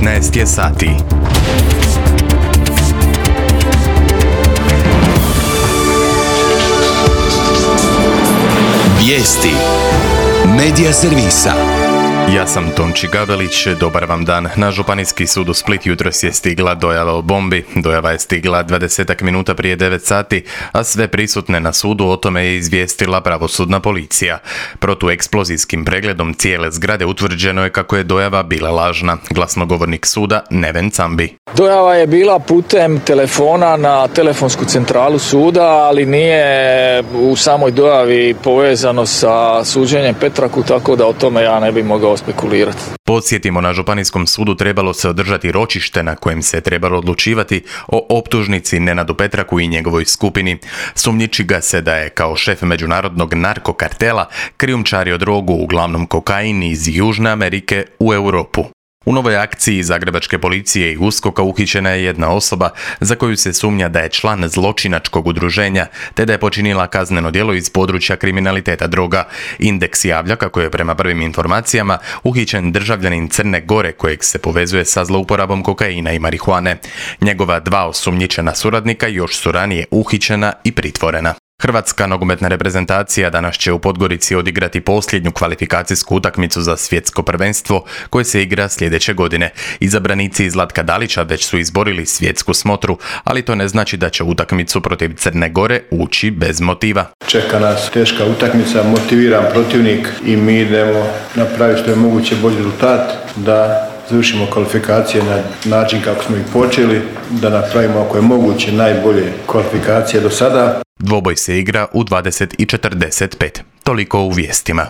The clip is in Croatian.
19 je sati. Vijesti Medija servisa. Ja sam Tonči Gavelić, dobar vam dan. Na Županijski sud u Split jutros je stigla dojava o bombi. Dojava je stigla 20 minuta prije 9 sati, a sve prisutne na sudu o tome je izvijestila pravosudna policija. Protueksplozijskim pregledom cijele zgrade utvrđeno je kako je dojava bila lažna. Glasnogovornik suda Neven Cambi. Dojava je bila putem telefona na telefonsku centralu suda, ali nije u samoj dojavi povezano sa suđenjem Petraku, tako da o tome ja ne bih mogao spekulirati. Podsjetimo, na Županijskom sudu trebalo se održati ročište na kojem se trebalo odlučivati o optužnici Nenadu Petraku i njegovoj skupini. Sumnjiči ga se da je kao šef međunarodnog narkokartela krijumčario drogu, uglavnom kokain iz Južne Amerike, u Europu. U novoj akciji zagrebačke policije i USKOK-a uhićena je jedna osoba za koju se sumnja da je član zločinačkog udruženja, te da je počinila kazneno djelo iz područja kriminaliteta droga. Indeks javlja kako je prema prvim informacijama uhićen državljanin Crne Gore kojeg se povezuje sa zlouporabom kokaina i marihuane. Njegova dva osumnjičena suradnika još su ranije uhićena i pritvorena. Hrvatska nogometna reprezentacija danas će u Podgorici odigrati posljednju kvalifikacijsku utakmicu za svjetsko prvenstvo koje se igra sljedeće godine. Izabranici Zlatka Dalića već su izborili svjetsku smotru, ali to ne znači da će utakmicu protiv Crne Gore ući bez motiva. Čeka nas teška utakmica, motiviran protivnik i mi idemo napraviti što je moguće bolji rezultat, da završimo kvalifikacije na način kako smo ih počeli, da napravimo ako je moguće najbolje kvalifikacije do sada. Dvoboj se igra u 20:45. Toliko u vijestima.